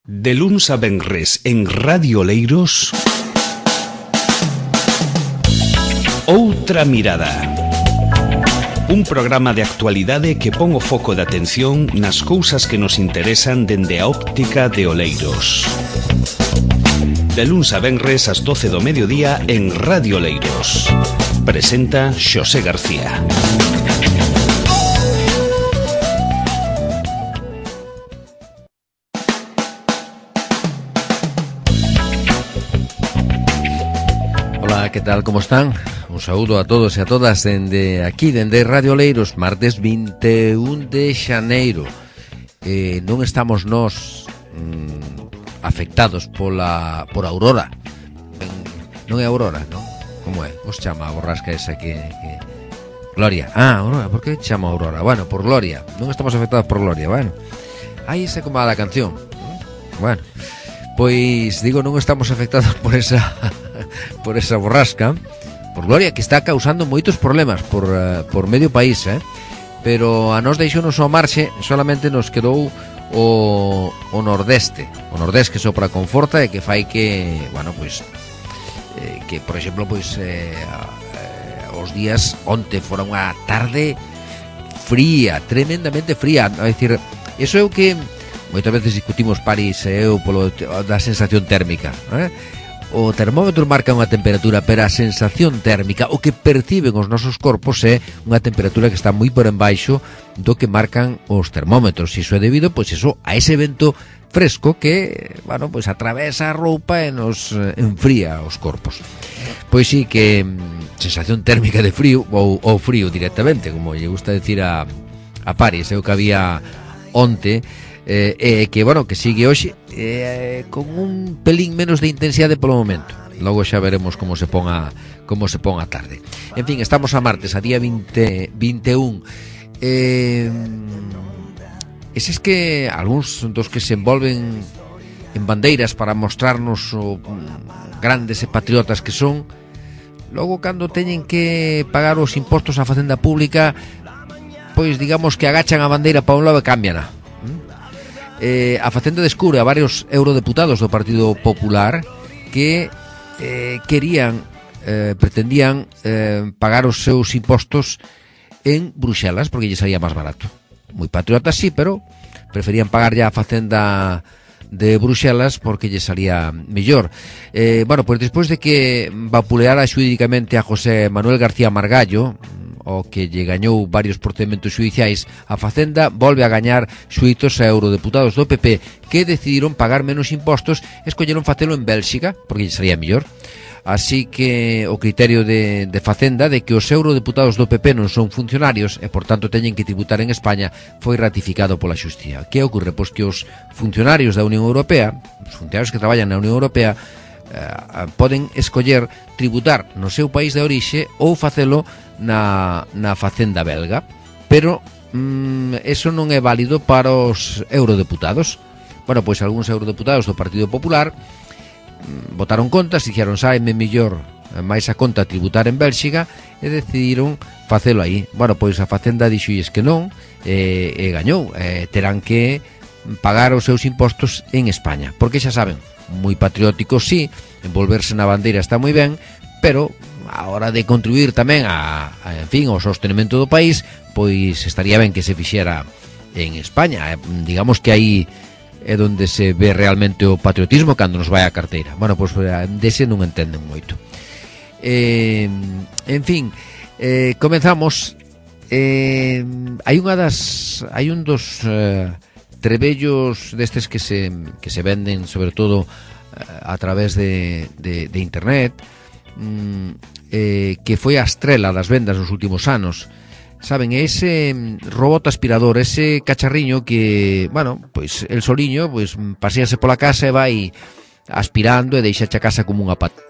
De luns a venres en Radio Oleiros, Outra Mirada. Un programa de actualidade que pon o foco de atención nas cousas que nos interesan dende a óptica de Oleiros. De luns a venres ás 12 do mediodía en Radio Oleiros. Presenta Xosé García. Ola, que tal, como están? Un saúdo a todos e a todas dende aquí, dende Radio Oleiros, martes 21 de xaneiro. Non estamos nós afectados por Aurora. Non é Aurora, non? Como é? Os chama a borrasca esa que... Gloria. Aurora, por que chama Aurora? Bueno, por Gloria. Non estamos afectados por Gloria, bueno. Aí se como a da canción. Bueno, pois digo, non estamos afectados por esa borrasca, por Gloria, que está causando moitos problemas por medio país, pero a nos deixounos ao marxe, solamente nos quedou o nordeste que sopra con forza e que fai que, bueno, pois que, por exemplo, pois os días onte fora unha tarde fría, tremendamente fría, a decir, eso é o que moitas veces discutimos París e eu polo da sensación térmica, O termómetro marca unha temperatura, pero a sensación térmica, o que perciben os nosos corpos, é unha temperatura que está moi por embaixo do que marcan os termómetros. E iso é debido, pois eso, a ese vento fresco que, bueno, pois atravesa a roupa e nos enfría os corpos. Pois sí que sensación térmica de frío, ou frío directamente, como lle gusta decir a París, é o que había onte, que, bueno, que sigue hoxe con un pelín menos de intensidade polo momento. Logo xa veremos como se pon a tarde. En fin, estamos a martes, a día 21. Eses que algúns dos que se envolven en bandeiras para mostrarnos o grandes e patriotas que son, logo cando teñen que pagar os impostos á facenda pública, pois digamos que agachan a bandeira para un lado e cámbiana. A Facenda descubre a varios eurodeputados do Partido Popular que pretendían pagar os seus impostos en Bruxelas porque lle salía máis barato. Moi patriotas, sí, pero preferían pagar ya a Facenda de Bruxelas porque lle salía mellor. Bueno, pois despois de que vapuleara xurídicamente a José Manuel García Margallo, o que lle gañou varios procedementos xudiciais, a Facenda volve a gañar xuízos a eurodeputados do PP que decidiron pagar menos impostos e escolleron facelo en Bélxica porque lle salía mellor. Así que o criterio de Facenda de que os eurodeputados do PP non son funcionarios e por tanto teñen que tributar en España foi ratificado pola Xustiza. Que ocorre? Pois que os funcionarios da Unión Europea, os funcionarios que traballan na Unión Europea, poden escoller tributar no seu país de orixe ou facelo na Facenda belga, pero eso non é válido para os eurodeputados. Bueno, pois algúns eurodeputados do Partido Popular votaron contas, dixeron saime mellor máis a conta tributar en Bélxica e decidiron facelo aí. Bueno, pois a Facenda dixolles que non e gañou, terán que pagar os seus impostos en España, porque xa saben, moi patrióticos sí, envolverse na bandeira está moi ben, pero a hora de contribuir tamén en fin, ao sostenimento do país, pois estaría ben que se fixera en España. Digamos que aí é onde se ve realmente o patriotismo cando nos vai a carteira. Bueno, pois dese non entenden moito. En fin, comenzamos. Hai un dos trebellos destes que se venden sobre todo a través de internet, que foi a estrela das vendas nos últimos anos. Saben, ese robot aspirador, ese cacharriño que, bueno, pois el soliño pois pasease pola casa e vai aspirando e deixa a casa como unha pata.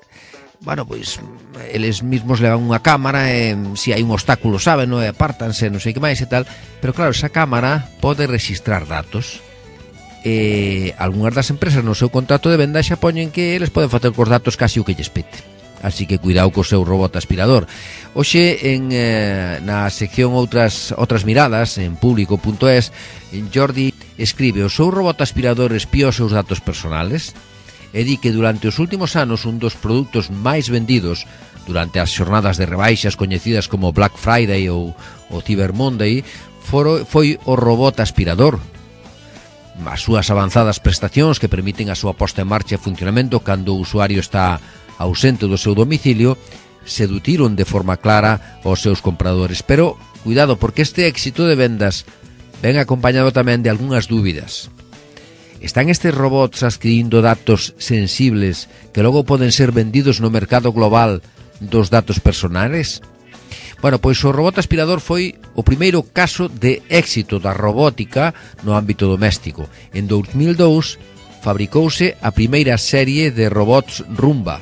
Bueno, pois eles mismos levan unha cámara e se hai un obstáculo, saben, non, apártanse, non sei que máis e tal, pero claro, esa cámara pode registrar datos e algunhas das empresas no seu contrato de venda xa poñen que eles poden facer cos datos casi o que lles pete. Así que cuidado co seu robot aspirador. Hoxe na sección outras miradas en público.es, Jordi escribe: o seu robot aspirador espía os seus datos personales e di que durante os últimos anos un dos produtos máis vendidos durante as xornadas de rebaixas coñecidas como Black Friday ou Cyber Monday foi o robot aspirador. As súas avanzadas prestacións que permiten a súa posta en marcha e funcionamento cando o usuario está ausente do seu domicilio sedutiron de forma clara aos seus compradores. Pero, cuidado, porque este éxito de vendas ven acompañado tamén de algunhas dúbidas. Están estes robots adquirindo datos sensibles que logo poden ser vendidos no mercado global dos datos personales? Bueno, pois o robot aspirador foi o primeiro caso de éxito da robótica no ámbito doméstico. En 2002 fabricouse a primeira serie de robots Roomba,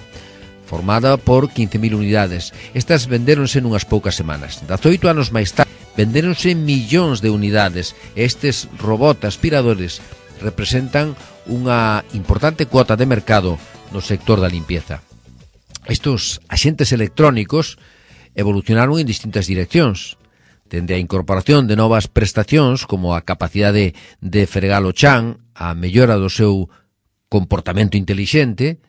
formada por 15.000 unidades. Estas vendéronse nunhas poucas semanas. 18 anos máis tarde, vendéronse millóns de unidades. Estes robot aspiradores representan unha importante cuota de mercado no sector da limpieza. Estos axentes electrónicos evolucionaron en distintas direccións, dende a incorporación de novas prestacións como a capacidade de fregar o chan, a mellora do seu comportamento intelixente.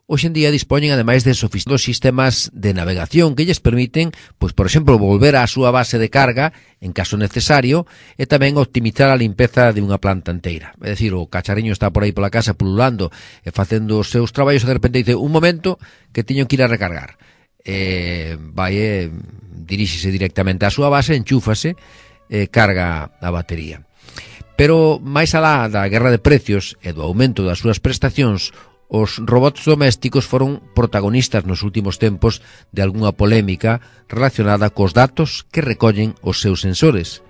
Hoxe en día dispoñen ademais de sofisticados sistemas de navegación que lles permiten, pois por exemplo, volver á súa base de carga en caso necesario e tamén optimizar a limpeza de unha planta inteira. É dicir, o cacharriño está por aí pola casa pululando e facendo os seus traballos e de repente dice: un momento que teño que ir a recargar. Diríxese directamente á súa base, enchúfase e carga a batería. Pero máis alá da guerra de precios e do aumento das súas prestacións, os robots domésticos foron protagonistas nos últimos tempos de algunha polémica relacionada cos datos que recollen os seus sensores.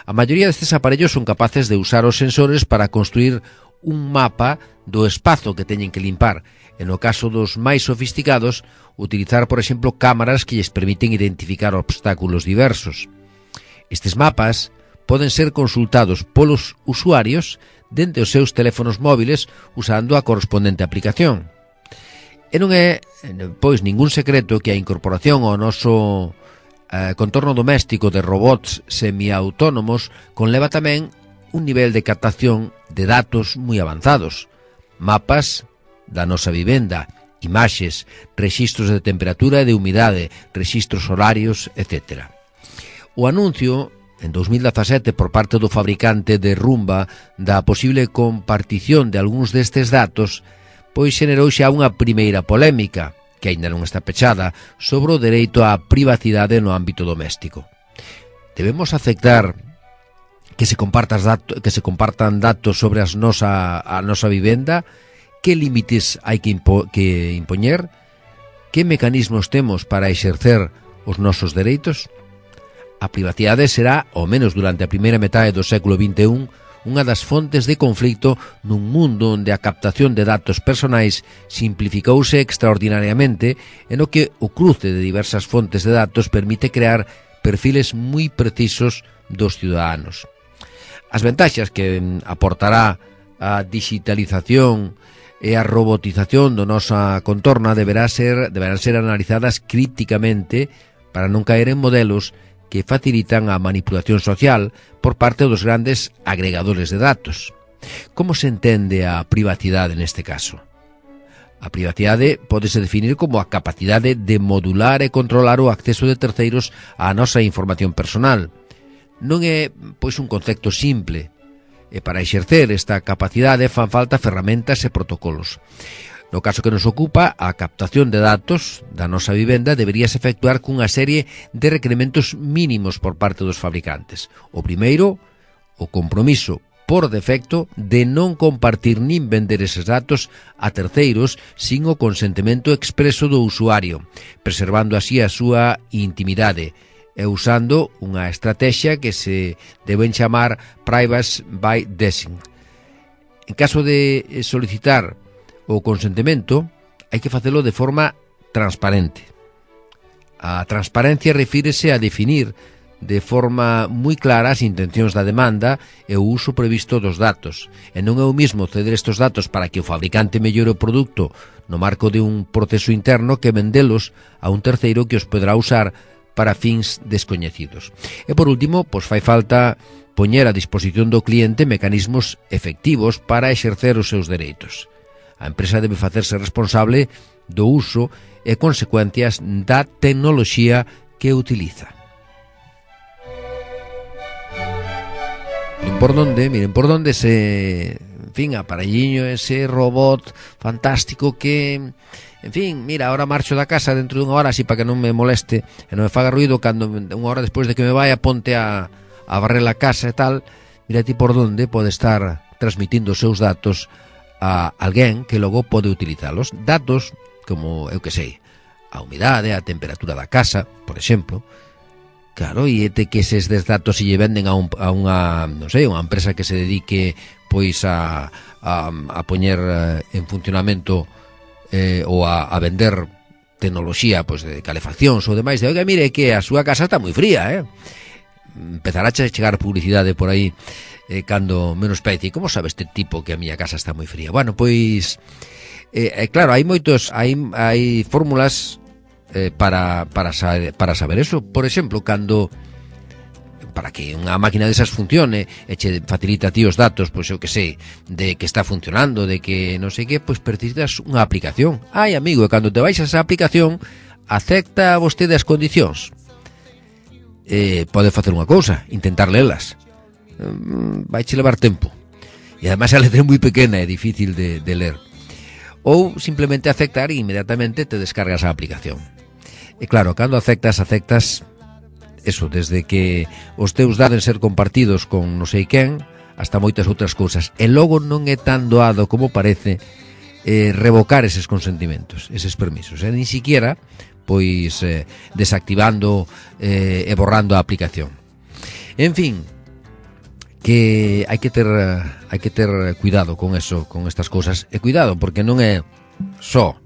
A maioría destes aparellos son capaces de usar os sensores para construir un mapa do espazo que teñen que limpar, e no caso dos máis sofisticados, utilizar, por exemplo, cámaras que lles permiten identificar obstáculos diversos. Estes mapas poden ser consultados polos usuarios dende os seus teléfonos móviles usando a correspondente aplicación. E non é, pois, ningún secreto que a incorporación ao noso contorno doméstico de robots semiautónomos conleva tamén un nivel de captación de datos moi avanzados. Mapas da nosa vivenda, imaxes, rexistros de temperatura e de humidade, rexistros horarios, etc. O anuncio en 2017 por parte do fabricante de Roomba da posible compartición de algúns destes datos, pois xenerou xa unha primeira polémica, que aínda non está pechada, sobre o dereito á privacidade no ámbito doméstico. Debemos aceptar que se compartan datos sobre a nosa vivenda? Que límites hai que impoñer? Que mecanismos temos para exercer os nosos dereitos? A privacidade será, ao menos durante a primeira metade do século XXI, unha das fontes de conflito nun mundo onde a captación de datos personais simplificouse extraordinariamente e no que o cruce de diversas fontes de datos permite crear perfiles moi precisos dos ciudadanos. As ventaxas que aportará a digitalización e a robotización do nosa contorna deberán ser analizadas críticamente para non caer en modelos que facilitan a manipulación social por parte dos grandes agregadores de datos. Como se entende a privacidade neste caso? A privacidade pódese definir como a capacidade de modular e controlar o acceso de terceiros á nosa información personal. Non é, pois, un concepto simple, e para exercer esta capacidade fan falta ferramentas e protocolos. No caso que nos ocupa, a captación de datos da nosa vivenda deberíase efectuar cunha serie de requerimentos mínimos por parte dos fabricantes. O primeiro, o compromiso por defecto de non compartir nin vender eses datos a terceiros sin o consentimento expreso do usuario, preservando así a súa intimidade e usando unha estrategia que se deben chamar Privacy by Design. En caso de solicitar o consentimento, hai que facelo de forma transparente. A transparencia refírese a definir de forma moi clara as intencións da demanda e o uso previsto dos datos. E non é o mismo ceder estes datos para que o fabricante mellore o produto no marco de un proceso interno que vendelos a un terceiro que os poderá usar para fins descoñecidos. E por último, pois fai falta poñer a disposición do cliente mecanismos efectivos para exercer os seus dereitos. A empresa debe facerse responsable do uso e consecuencias da tecnoloxía que utiliza. Miren por donde ese, en fin, aparelliño, ese robot fantástico que, en fin, mira, ahora marcho da casa dentro dunha hora así para que non me moleste e non me faga ruido cando unha hora despois de que me vaya ponte a barrer a casa e tal. Mira ti por donde pode estar transmitindo os seus datos a alguén que logo pode utilizalos. Datos como, eu que sei, a humidade, a temperatura da casa, por exemplo. Claro, e que eses datos se lle venden a unha, non sei, unha empresa que se dedique pois a poñer en funcionamento ou a vender tecnoloxía pois de calefaccións ou demais, de oiga, mire que a súa casa está moi fría, empezará a chegar publicidade por aí cando menos pece. Como sabe este tipo que a miña casa está moi fría? Bueno, pois claro, hai fórmulas para saber eso. Por exemplo, cando para que unha máquina desas funcione e che facilita a ti os datos, pois eu que sei, de que está funcionando, de que non sei que, pois precisas unha aplicación. Ai, amigo, e cando te baixas a aplicación, acepta vostede as condicións. Pode facer unha cousa, intentar lelas. Vaiche levar tempo. E ademais a letra é moi pequena, é difícil de ler. Ou simplemente aceptar e inmediatamente te descargas a aplicación. E claro, cando aceptas eso, desde que os teus dados ser compartidos con non sei quen hasta moitas outras cousas. E logo non é tan doado como parece revocar eses consentimentos, eses permisos. Ni siquiera pois desactivando e borrando a aplicación. En fin, que hai que ter cuidado con eso, con estas cousas. E cuidado, porque non é só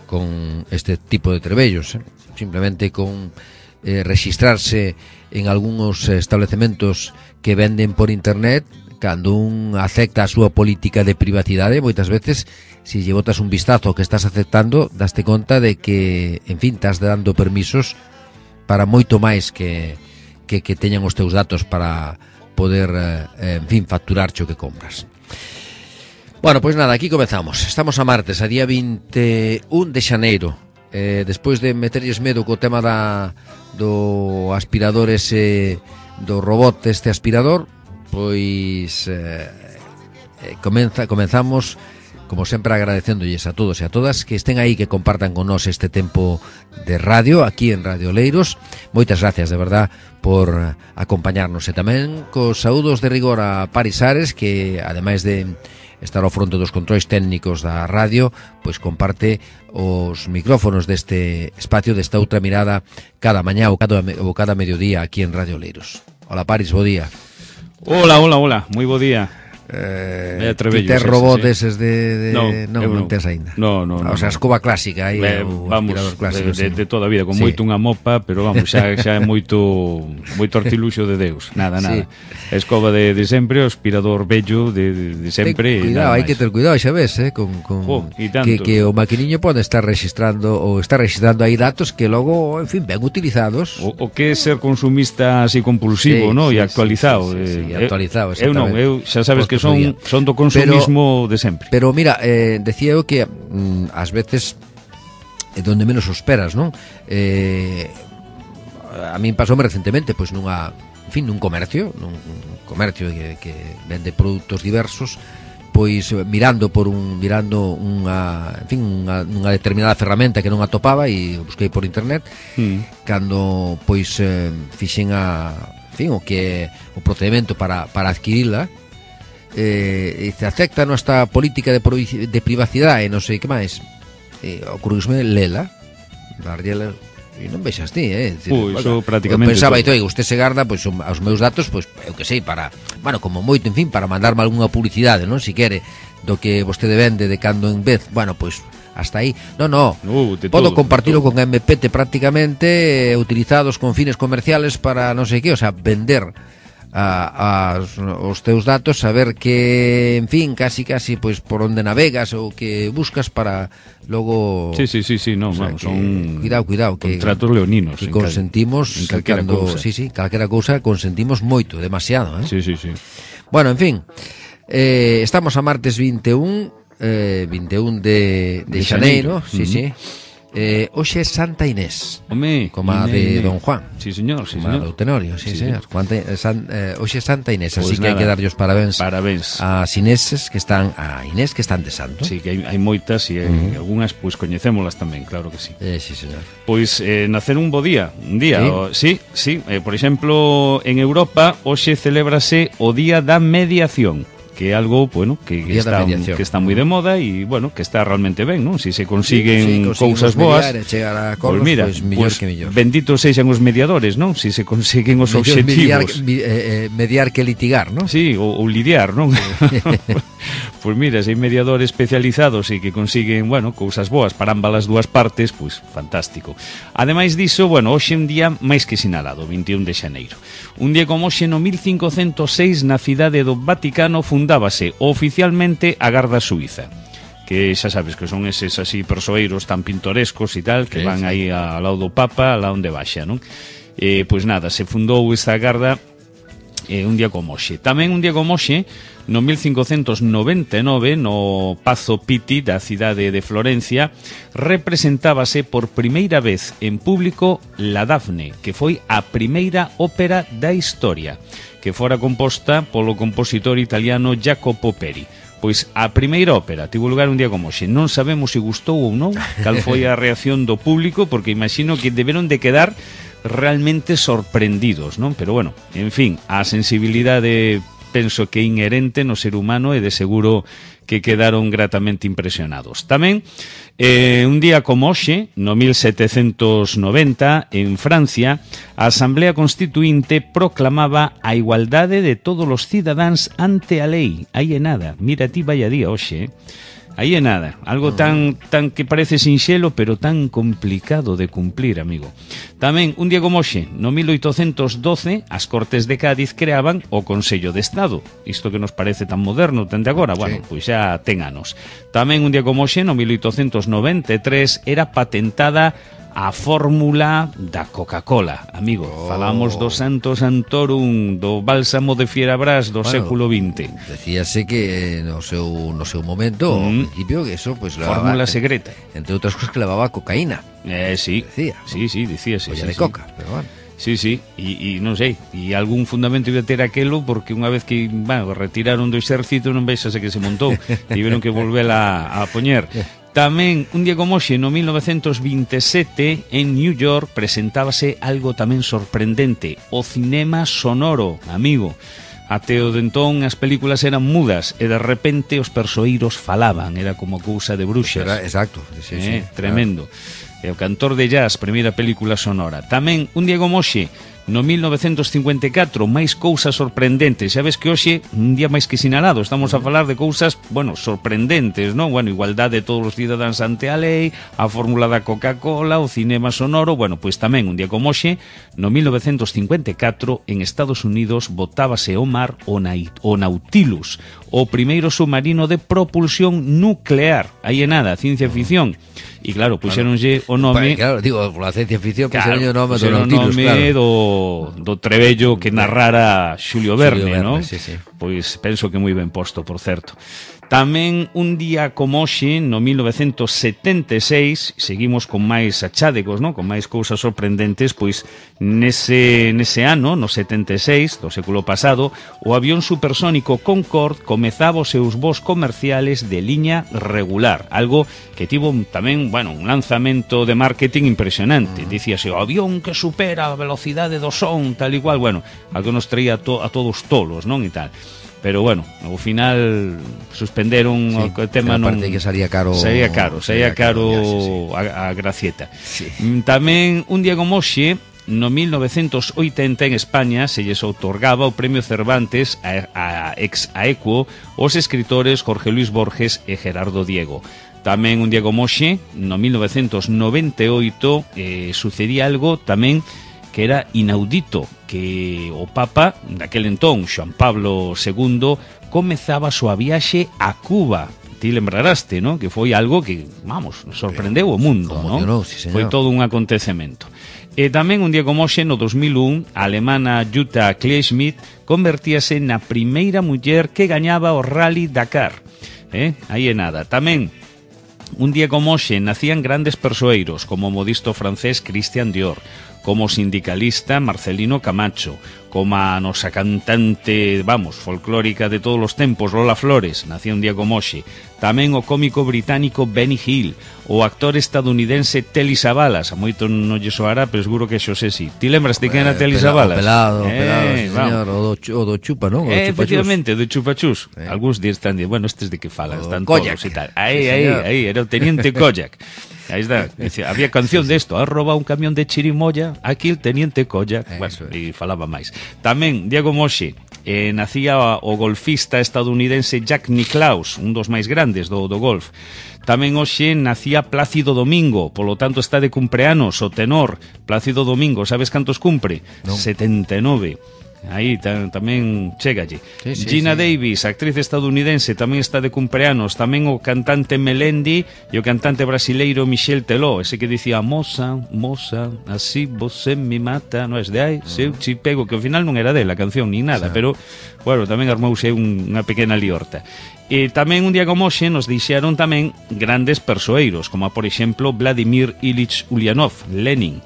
con este tipo de trebellos, simplemente con registrarse en algúns establecementos que venden por internet. Cando un acepta a súa política de privacidade, moitas veces, se lle botas un vistazo que estás aceptando, daste conta de que, en fin, estás dando permisos para moito máis que teñan os teus datos para poder, en fin, facturar o que compras. Bueno, pois nada, aquí comezamos. Estamos a martes, a día 21 de xaneiro. Despois de meterlles medo co tema do aspirador ese, do robot este aspirador, pois comenzamos como sempre agradecéndolles a todos e a todas que estén aí, que compartan con nós este tempo de radio aquí en Radio Oleiros. Moitas gracias de verdad por acompañarnos, e tamén cos saúdos de rigor a Paris Ares, que ademais de estar ao fronte dos controis técnicos da radio, pois comparte os micrófonos deste espacio, desta outra mirada, cada mañá ou cada mediodía aquí en Radio Oleiros. Hola Paris, bo día. Hola, moi bo día. Tes robot eses de non tes aínda. No. O sea, a escoba clásica aí, o aspirador clásico de toda a vida, con moito unha mopa, pero vamos, xa é moito artiluxo de Deus. Nada. Sí. A escoba de sempre, o aspirador bello de sempre. Cuidado, hai que ter cuidado, xa ves, que o maquiniño pode estar registrando ou está registrando aí datos que logo, en fin, ben utilizados. O que é ser consumista así compulsivo, e actualizado. Actualizado, exactamente. Eu xa sabes que son do consumismo de sempre. Pero mira, decía eu que ás veces é donde menos o esperas, non? A min pasoume recentemente, pois nun comercio que vende produtos diversos, pois mirando unha determinada ferramenta que non atopaba e busquei por internet, cando pois fixen o que é o procedimento para adquirila. Se acepta nuestra política de privacidade e non sei que máis, ocurriusme lela, darlle, e non vexas ti, iso prácticamente eu pensaba, usted se garda pois aos meus datos, pois eu que sei, para, bueno, como moito, en fin, para mandarme algunha publicidade, non, si quere, do que vostede vende de cando en vez, bueno, pois hasta aí. Podo compartilo con MPT prácticamente, utilizados con fines comerciales para non sei que, o sea, vender os teus datos, saber que, en fin, casi pois por onde navegas ou que buscas para logo... Sí, no, o sea, vamos, son cuidado, que contratos leoninos. Que consentimos, cando, calquera cousa consentimos moito, demasiado, Sí. Bueno, en fin, estamos a martes 21 de xaneiro, sí. Hoxe é Santa Inés, como a de Don Juan. Sí, señor. Como a do Tenorio, sí, señor. Hoxe é Santa Inés, pues así que hai que darlle os parabéns ás Ineses que están de santo. Sí, que hai moitas e algunhas pois coñecémolas tamén, claro que sí. Sí, señor. Pois nacer un bo día, ¿Sí? Sí, por exemplo, en Europa hoxe celébrase o Día da Mediación, que é algo, bueno, que está moi de moda e, bueno, que está realmente ben, non? Si se consiguen cousas boas, pois mira, mellor que mellor. Benditos sexan os mediadores, non? Si se consiguen os obxectivos. Mediar que litigar, non? Sí, ou lidiar, non? Pois mira, se hai mediadores especializados e que consiguen, bueno, cousas boas para ambas as dúas partes, pois fantástico. Ademais diso, bueno, hoxe un día máis que sinalado, 21 de xaneiro. Un día como hoxe no 1506 na cidade do Vaticano fundábase oficialmente a Garda Suiza, que xa sabes que son eses así persoeiros tan pintorescos e tal, que van aí ao lado do Papa, a lá onde baixa, non? Pois nada, se fundou esta Garda un día como hoxe. Tamén un día como hoxe, no 1599, no Pazo Pitti da cidade de Florencia, representábase por primeira vez en público La Dafne, que foi a primeira ópera da historia, que fora composta polo compositor italiano Jacopo Peri. Pois a primeira ópera tivo lugar un día como hoxe. Non sabemos se gustou ou non, cal foi a reacción do público, porque imagino que deberon de quedar realmente sorprendidos, non? Pero bueno, en fin, a sensibilidade penso que inherente no ser humano e de seguro que quedaron gratamente impresionados. Tamén, un día como hoxe, no 1790, en Francia, a Asamblea Constituinte proclamaba a igualdade de todos os cidadáns ante a lei. Aí é nada, mira ti vaya día hoxe, Aí é nada, algo tan que parece sinxelo, pero tan complicado de cumplir, amigo. Tamén, un día como hoxe, no 1812, as Cortes de Cádiz creaban o Consello de Estado. Isto que nos parece tan moderno, tan de agora, bueno, pois xa ten anos. Tamén, un día como hoxe, no 1893, era patentada a fórmula da Coca-Cola, amigo. Falamos do Santo Santorum, do bálsamo de Fierabras do século XX. Decíase que no seu momento, ao principio, que eso pues levaba fórmula secreta. Entre outras cosas que levaba cocaína. Sí. Decía. Sí, dicíase. Olla de coca, pero bueno. Sí, e non sei, e algún fundamento iba a ter aquelo, porque unha vez que retiraron do exército non vexase que se montou, tiveron que volvela a poñer. Tamén, un día como hoxe, no 1927, en New York, presentábase algo tamén sorprendente, o cinema sonoro, amigo. Até o de entón as películas eran mudas e de repente os persoeiros falaban, era como cousa de bruxas. Exacto, sí, tremendo. Claro. O cantor de jazz, primeira película sonora. Tamén, un día como hoxe, no 1954, máis cousas sorprendentes. Xa ves que hoxe, un día máis que sinalado, estamos a falar de cousas, sorprendentes, non? Igualdade de todos os cidadáns ante a lei, a fórmula da Coca-Cola, o cinema sonoro, pois tamén, un día como hoxe, no 1954, en Estados Unidos, botábase ao mar o Nautilus, o primeiro submarino de propulsión nuclear. Aí é nada, ciencia ficción. E claro, puxéronlle o nome... Claro, digo, pola ciencia ficción, puxéronlle o nome do Nautilus, claro. Do trebello que narrara Xulio Verne, non? Sí. Pois penso que moi ben posto, por certo. Tamén un día como hoxe, no 1976, seguimos con máis achádegos, non? Con máis cousas sorprendentes, pois nese ano, no 76 do século pasado, o avión supersónico Concorde comezaba os seus voos comerciales de liña regular, algo que tivo tamén, un lanzamento de marketing impresionante. Dicíase, o avión que supera a velocidade do son, tal igual, algo nos traía a todos tolos, non? E tal. Pero ao final suspenderon o tema, non. Aparte que saía caro a gracieta. Sí. Tamén un día como hoxe, no 1980 en España se lles outorgaba o Premio Cervantes a ex aequo os escritores Jorge Luis Borges e Gerardo Diego. Tamén un día como hoxe, no 1998, sucedía algo tamén que era inaudito que o Papa, daquel entón, Xoan Pablo II, comezaba a súa viaxe a Cuba. Ti lembraraste, ¿no? Que foi algo que, vamos, sorprendeu o mundo, ¿no? Sí, foi todo un acontecemento. E tamén un día como hoxe, no 2001, a alemana Jutta Kleinschmidt convertíase na primeira muller que gañaba o Rally Dakar. Aí é nada. Tamén, un día como hoxe, nacían grandes persoeiros, como o modisto francés Christian Dior, como sindicalista Marcelino Camacho, como a nosa cantante, vamos, folclórica de todos os tempos, Lola Flores, nacía un día como hoxe. Tamén o cómico británico Benny Hill, o actor estadounidense Telly Savalas, a moito non lle soará, pero seguro que xo sé si. Ti lembras de quen era Telly Savalas? Pelado, señor, o do Chupa, non? Efectivamente, do Chupachus. Algúns días están dicindo, bueno, estes de que falan, están Koyak. todos e tal. Aí, era o teniente Koyak. Aí está, había canción de esto, ha robado un camión de chirimoya, aquí el teniente Koyak, bueno, e falaba máis. Tamén, Diego Moxe, nacía o golfista estadounidense Jack Nicklaus, un dos máis grandes do golf. Tamén hoxe nacía Plácido Domingo, polo tanto está de cumpleanos o tenor Plácido Domingo, sabes cantos cumpre? No. 79. Aí tamén chegalle. Gina Davis, actriz estadounidense, tamén está de cumpleanos. Tamén o cantante Melendi e o cantante brasileiro Michel Teló, ese que dicía moza, así você me mata, non é de aí, seu chipego, que ao final non era dela a canción ni nada, pero, bueno, tamén armouse unha pequena liorta. E tamén un día como hoxe nos dixeron tamén grandes persoeiros, como por exemplo Vladimir Ilich Ulyanov, Lenin,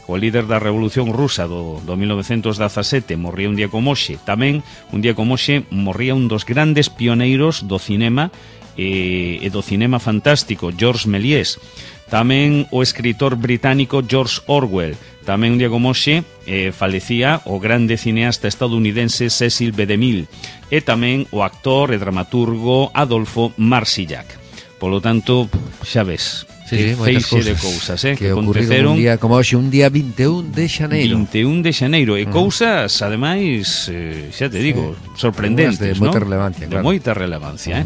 o líder da Revolución Rusa do 1917, morría un día como hoxe. Tamén, un día como hoxe, morría un dos grandes pioneiros do cinema e do cinema fantástico, Georges Méliès. Tamén o escritor británico George Orwell. Tamén un día como hoxe falecía o grande cineasta estadounidense Cecil B. DeMille. E tamén o actor e dramaturgo Adolfo Marsillac. Polo tanto, xa ves, feixe de cousas que aconteceron un día como hoxe, un día 21 de xaneiro. 21 de xaneiro, e cousas, ademais, xa te digo, sorprendentes, de moita relevancia, de moita relevancia,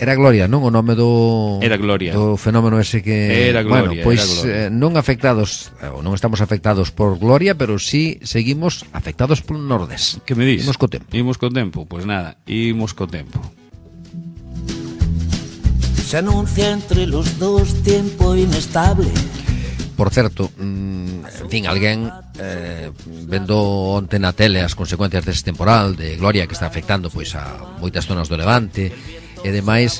Era Gloria, non? O nome do... Era Gloria. Do fenómeno ese que... Era Gloria, bueno, pois non afectados, ou non estamos afectados por Gloria, pero sí seguimos afectados por Nordés. Que me dis? Imos co tempo. Imos co tempo, pois nada, imos co tempo. Se anuncia entre los dos tiempo inestable. Por certo, en fin, alguén vendo onte na tele as consecuencias deste temporal de Gloria que está afectando pois a moitas zonas do Levante e demais,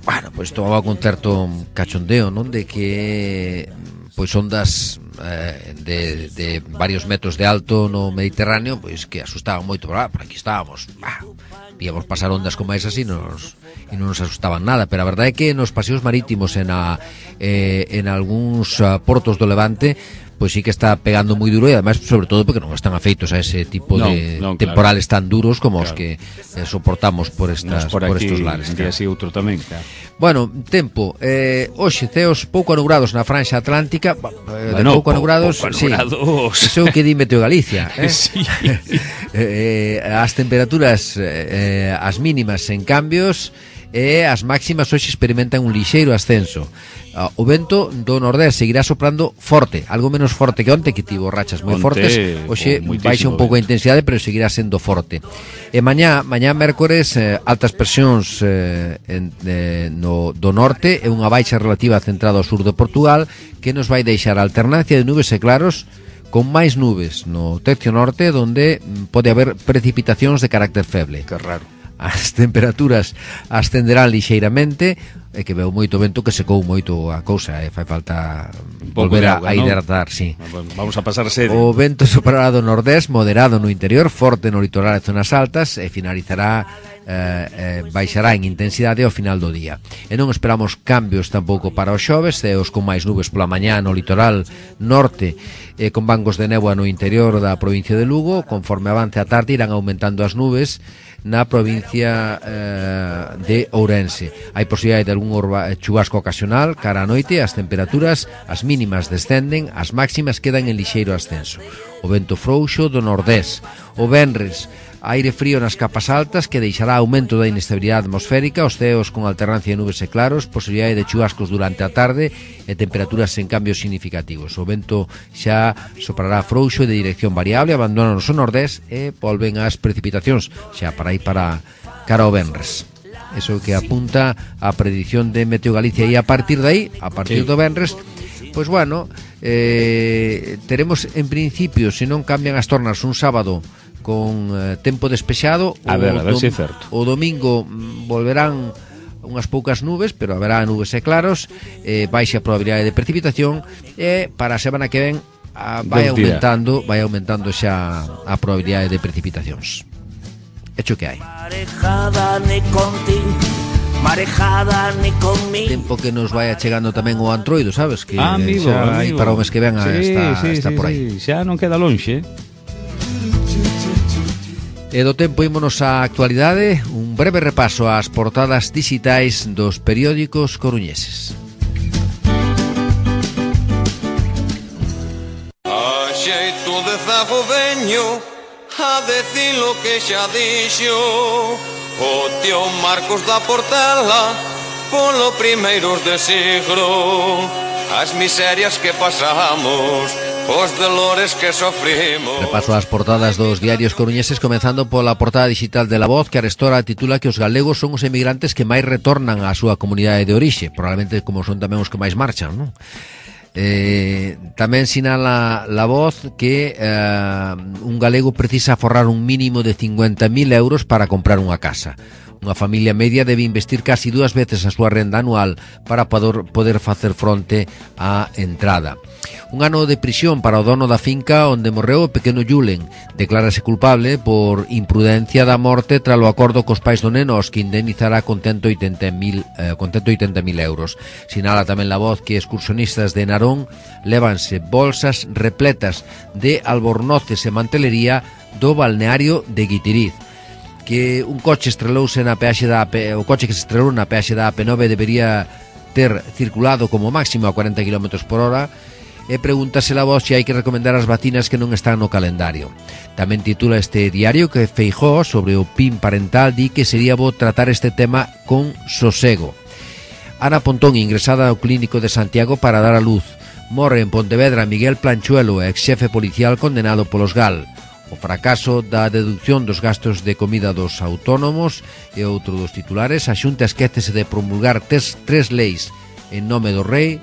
bueno, pois tomaba con certo cachondeo, non, de que pois ondas de varios metros de alto no Mediterráneo, pois que asustaban moito, por aquí estábamos, víamos pasar ondas como esas e non nos asustaban nada, pero a verdade é que nos paseos marítimos en algúns portos do Levante pois sí que está pegando moi duro e ademais sobre todo porque non están afeitos a ese tipo de temporales tan duros como os que soportamos por estos lares. Un día así outro tamén, claro. Bueno, tempo, hoxe ceos pouco anubrados na franxa atlántica, de pouco anubrados, sí, iso que di Meteo Galicia, Sí. As temperaturas, as mínimas en cambios e as máximas hoxe experimentan un lixeiro ascenso. O vento do Nordés seguirá soprando forte, algo menos forte que onte, que tivo rachas moi fortes. Hoxe baixa un pouco a intensidade, pero seguirá sendo forte. E mañá mércores, altas presións do norte e unha baixa relativa centrada ao sur de Portugal, que nos vai deixar a alternancia de nubes e claros, con máis nubes no tercio norte, onde pode haber precipitacións de carácter feble. Que raro. As temperaturas ascenderán lixeiramente, e que veo moito vento que secou moito a cousa, fai falta volver a hidratar, ¿no? Sí. Vamos a pasar sede. O vento soprará do nordés, moderado no interior, forte no litoral e zonas altas, e finalizará baixará en intensidade ao final do día. E non esperamos cambios tampouco para os xoves, ceos con máis nubes pola mañá no litoral norte e con bancos de néboa no interior da provincia de Lugo. Conforme avance a tarde irán aumentando as nubes na provincia de Ourense. Hai posibilidade de algún chubasco ocasional cara a noite. As temperaturas, as mínimas descenden, as máximas quedan en lixeiro ascenso. O vento frouxo do nordés. O venres Aire frío nas capas altas que deixará aumento da inestabilidade atmosférica, os ceos con alternancia de nubes e claros, posibilidade de chubascos durante a tarde e temperaturas sen cambios significativos. O vento xa soprará frouxo e de dirección variable, abandonan o nordés e volven as precipitacións xa para ir para cara ao venres. Eso que apunta a predicción de Meteo Galicia, e a partir de aí, a partir do venres, pois bueno, teremos en principio, se non cambian as tornas, un sábado con tempo despexado. A ver se é certo. O domingo volverán unhas poucas nubes, pero haberá nubes e claros, baixa probabilidade de precipitación, e para a semana que ven vai aumentando xa a probabilidade de precipitacións. Hecho que hai. Tempo que nos vai achegando tamén o Antroido, sabes? Que amigo. Aí para o mes que ven está por aí. Xa non queda lonxe. E do tempo ímonos á actualidade, un breve repaso ás portadas digitais dos periódicos coruñeses. A xeito de zago veño a decir lo que xa dixo o tío Marcos da Portela polo primeiros de siglo, as miserias que pasamos, os dolores que sofrimos. Repaso as portadas dos diarios coruñeses, comenzando pola portada digital de La Voz, que arestora titula que os galegos son os emigrantes que máis retornan á súa comunidade de orixe, probablemente como son tamén os que máis marchan, non? Tamén sinala La Voz que un galego precisa aforrar un mínimo de 50.000 euros para comprar unha casa. Unha familia media debe investir casi 2 veces a súa renda anual para poder facer fronte á entrada. Un ano de prisión para o dono da finca onde morreu o pequeno Julen. Declárase culpable por imprudencia da morte tras o acordo cos pais do neno, os que indemnizará con 180.000 euros. Sinala tamén La Voz que excursionistas de Narón lévanse bolsas repletas de albornoces e mantelería do balneario de Guitiriz. Que un coche estrelouse na peaxe da o coche que se estrelou na peaxe da AP9 debería ter circulado como máximo a 40 km/h, e pregúntase La Voz se hai que recomendar as vacinas que non están no calendario. Tamén titula este diario que Feijóo sobre o PIN parental di que sería bo tratar este tema con sosego. Ana Pontón ingresada ao clínico de Santiago para dar a luz. Morre en Pontevedra Miguel Planchuelo, ex xefe policial condenado polos GAL. O fracaso da deducción dos gastos de comida dos autónomos e outro dos titulares. A Xunta esquécese de promulgar tres leis en nome do rei.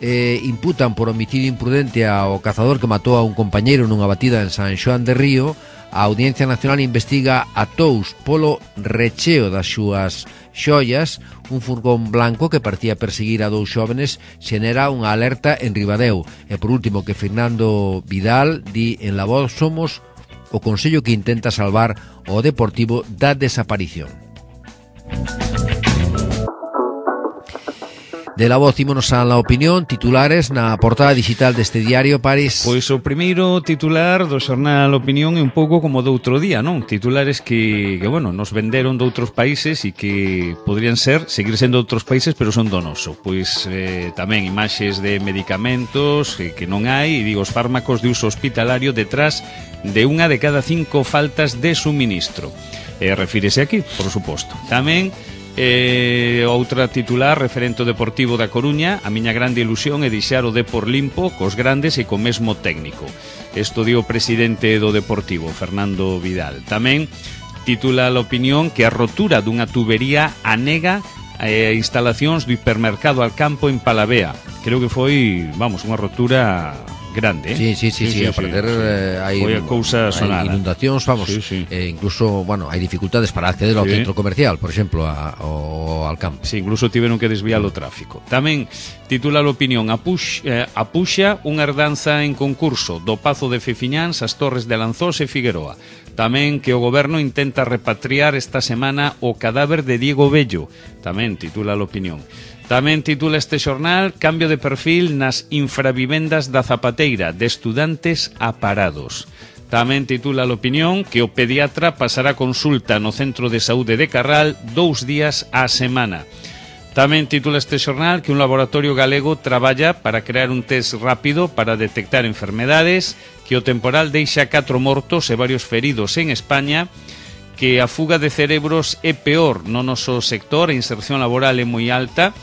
Imputan por homicidio imprudente ao cazador que matou a un compañeiro nunha batida en San Xoán de Río. A Audiencia Nacional investiga a Tous polo recheo das súas xoias. Un furgón blanco que parecía perseguir a 2 xóvenes xenera unha alerta en Ribadeo. E por último que Fernando Vidal di en La Voz: somos o consello que intenta salvar o Deportivo da desaparición. De La Voz ímonos a La Opinión, titulares na portada digital deste diario, París. Pois o primeiro titular do xornal Opinión é un pouco como do outro día, non? Titulares que bueno, nos venderon de outros países e que podrían seguir sendo de outros países, pero son do noso. Pois tamén imaxes de medicamentos que non hai, e digo, os fármacos de uso hospitalario detrás de unha de cada 5 faltas de suministro. Refírese aquí, por suposto. Tamén outra titular referente ao Deportivo da Coruña: a miña grande ilusión é deixar o Depor limpo cos grandes e co mesmo técnico. Isto dio o presidente do Deportivo, Fernando Vidal. Tamén titula a Opinión que a rotura dunha tubería anega instalacións do hipermercado Alcampo en Palavea. Creo que foi, vamos, unha rotura grande, Sí, a parecer hai inundacións, vamos, incluso, bueno, hai dificultades para acceder ao centro comercial, por exemplo, ao Alcampo. Sí, incluso tiveron que desviar o tráfico. Tamén titula a Opinión: apuxa unha herdanza en concurso do Pazo de Fefiñáns, as Torres de Lanzós e Figueroa. Tamén que o goberno intenta repatriar esta semana o cadáver de Diego Bello. Tamén titula a Opinión. Tamén titula este xornal: cambio de perfil nas infravivendas da Zapateira, de estudantes a parados. Tamén titula a Opinión que o pediatra pasará consulta no Centro de Saúde de Carral 2 días á semana. Tamén titula este xornal que un laboratorio galego traballa para crear un test rápido para detectar enfermedades, que o temporal deixa 4 mortos e varios feridos en España, que a fuga de cerebros é peor no noso sector, a inserción laboral é moi alta,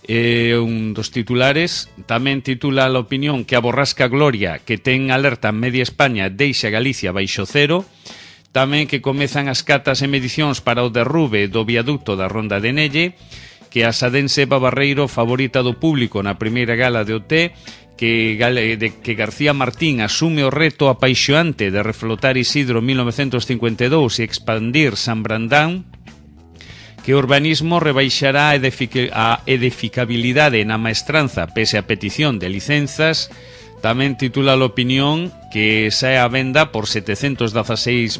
un dos titulares. Tamén titula a opinión que a borrasca Gloria, que ten alerta en media España, deixa Galicia baixo cero. Tamén que comezan as catas e medicións para o derrube do viaducto da Ronda de Nelle, que a sadense Eva Barreiro, favorita do público na primeira gala de OT, que García Martín asume o reto apaixoante de reflotar Isidro 1952 e expandir San Brandán, que o urbanismo rebaixará a edificabilidade na maestranza pese a petición de licenzas. Tamén titula a opinión que sae a venda por 716.000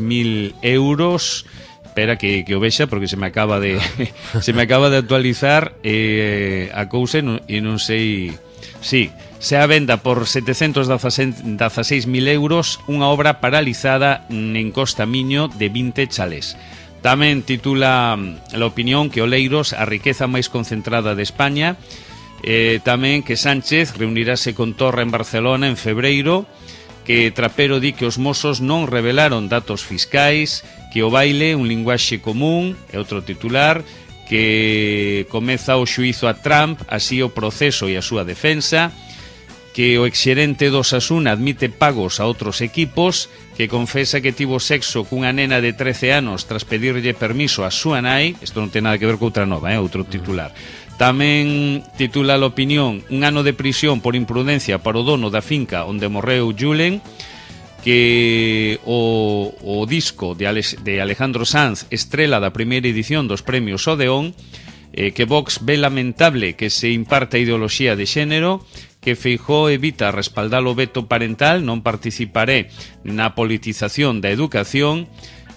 euros. Espera que o vexa porque se me acaba de actualizar a cousa e non sei. Sí, se a venda por 716.000 euros unha obra paralizada en Costa Miño de 20 chalés. Tamén titula a opinión que Oleiros, a riqueza máis concentrada de España. Tamén que Sánchez reunirase con Torra en Barcelona en febreiro, que Trapero di que os mozos non revelaron datos fiscais, que o baile un linguaxe común, é outro titular, que comeza o xuízo a Trump, así o proceso e a súa defensa, que o exxerente do Osasuna admite pagos a outros equipos, que confesa que tivo sexo cunha nena de 13 anos tras pedirlle permiso a súa nai. Isto non ten nada que ver con outra nova, outro titular. Tamén titula a opinión un ano de prisión por imprudencia para o dono da finca onde morreu Julen, que o disco de Alejandro Sanz, estrela da primeira edición dos premios Odeón, que Vox ve lamentable que se imparta ideoloxía de xénero, que Feijóo evita respaldar o veto parental, non participaré na politización da educación,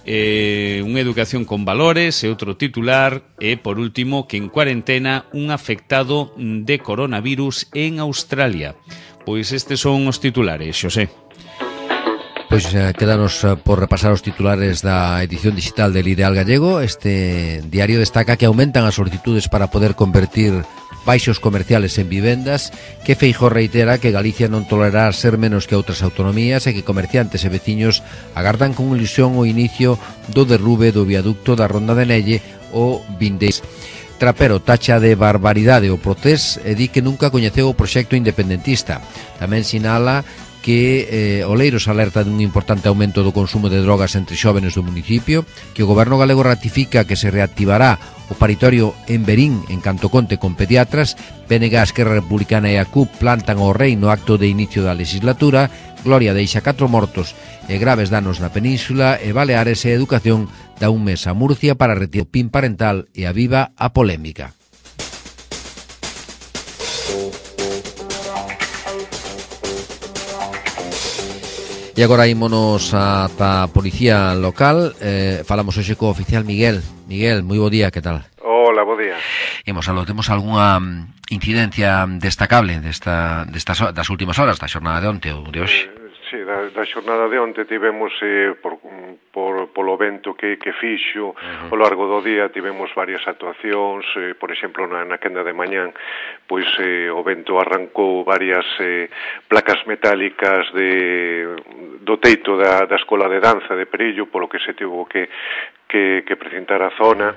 unha educación con valores, e outro titular, e por último que en cuarentena un afectado de coronavirus en Australia. Pois estes son os titulares, Xosé. Pois quedanos por repasar os titulares da edición digital del Ideal Gallego. Este diario destaca que aumentan as solicitudes para poder convertir baixos comerciales en vivendas, que Feijóo reitera que Galicia non tolerará ser menos que outras autonomías e que comerciantes e veciños agardan con ilusión o inicio do derrube do viaducto da Ronda de Nelle o vindeiro. Trapero tacha de barbaridade o Procés e di que nunca coñeceu o proxecto independentista. Tamén sinala que Oleiros alerta dun importante aumento do consumo de drogas entre xóvenes do municipio, que o goberno galego ratifica que se reactivará o paritorio en Verín en canto conte con pediatras. PNG, Esquerra Republicana e a CUP plantan ao rei no acto de inicio da legislatura. Gloria deixa 4 mortos e graves danos na península, e Baleares e Educación dá un mes a Murcia para retirar o PIN parental e aviva a polémica. E agora ímonos ata a policía local. Falamos hoxe co oficial Miguel. Miguel, moi bo día, que tal? Hola, bo día. Temos algunha incidencia destacable das últimas horas da xornada de onte ou de hoxe? Sí, da xornada de onte tivemos polo vento que fixo ao largo do día, tivemos varias actuacións. Por exemplo, na quenda de mañán, pois o vento arrancou varias placas metálicas do teito da escola de danza de Perillo, polo que se tivo que precintar a zona.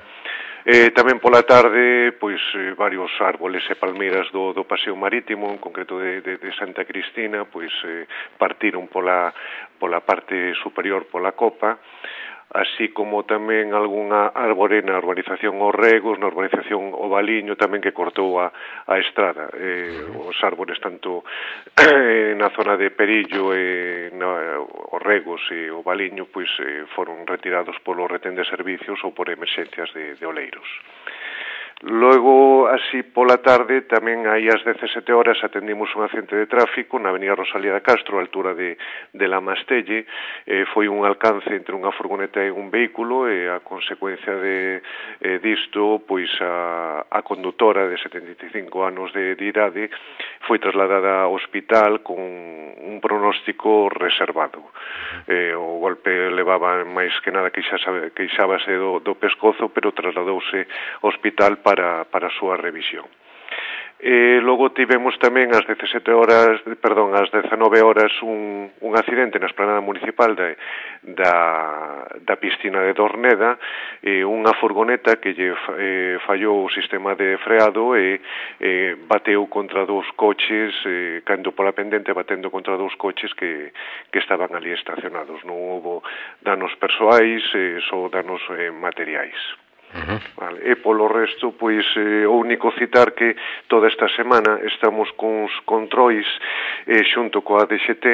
Tamén pola tarde, pois varios árboles e palmeiras do paseo marítimo, en concreto de Santa Cristina, pois partiron pola parte superior pola copa, así como tamén algunha árbore na urbanización Os Regos, na urbanización O Valiño, tamén que cortou a estrada. Os árbores tanto na zona de Perillo e Os Regos e O Valiño pois foron retirados polo retén de servicios ou por emerxencias de Oleiros. Logo, así pola tarde, tamén aí ás 17 horas atendimos un accidente de tráfico na avenida Rosalía de Castro, a altura de La Mastelle. Foi un alcance entre unha furgoneta e un vehículo, e a consecuencia disto, pois a condutora de 75 anos de idade foi trasladada ao hospital con un pronóstico reservado. O golpe levaba máis que nada queixábase do pescozo, pero trasladouse ao hospital para a súa revisión. Logo tivemos tamén ás 19 horas un accidente na esplanada municipal da piscina de Dorneda, unha furgoneta que lle fallou o sistema de freado e bateu contra dous coches, cando pola pendente batendo contra dous coches que estaban ali estacionados. Non houbo danos persoais, só danos materiais. Vale. E polo resto, pois, o único citar que toda esta semana estamos cuns controis xunto coa DXT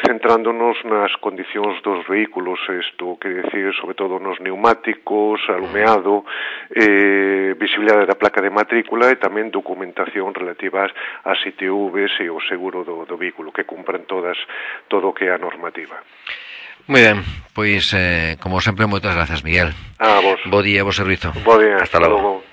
centrándonos nas condicións dos vehículos, isto quere decir sobre todo nos neumáticos, alumeado, visibilidade da placa de matrícula e tamén documentación relativa ás ITVs e o seguro do vehículo, que cumpran todo o que é a normativa. Moi ben, pois, como sempre, moitas grazas, Miguel. A vos. Bo día, bo servizo. Bo día, hasta logo.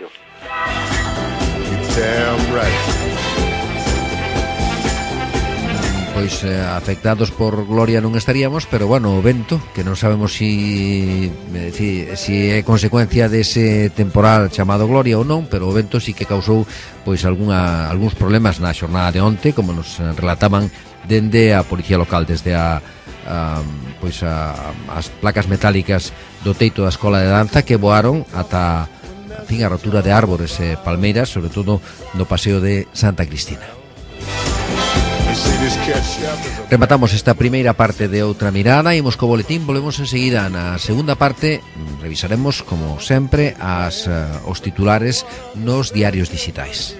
Pois afectados por Gloria non estaríamos, pero bueno, o vento, que non sabemos si é consecuencia dese temporal chamado Gloria ou non, pero o vento sí que causou pois algúns problemas na xornada de onte, como nos relataban dende a Policía Local, desde as placas metálicas do teito da escola de danza que voaron ata a rotura de árbores e palmeiras, sobre todo no paseo de Santa Cristina. Rematamos esta primeira parte de Outra Mirada. Imos co boletín, volvemos enseguida na segunda parte. Revisaremos, como sempre, os titulares nos diarios digitais.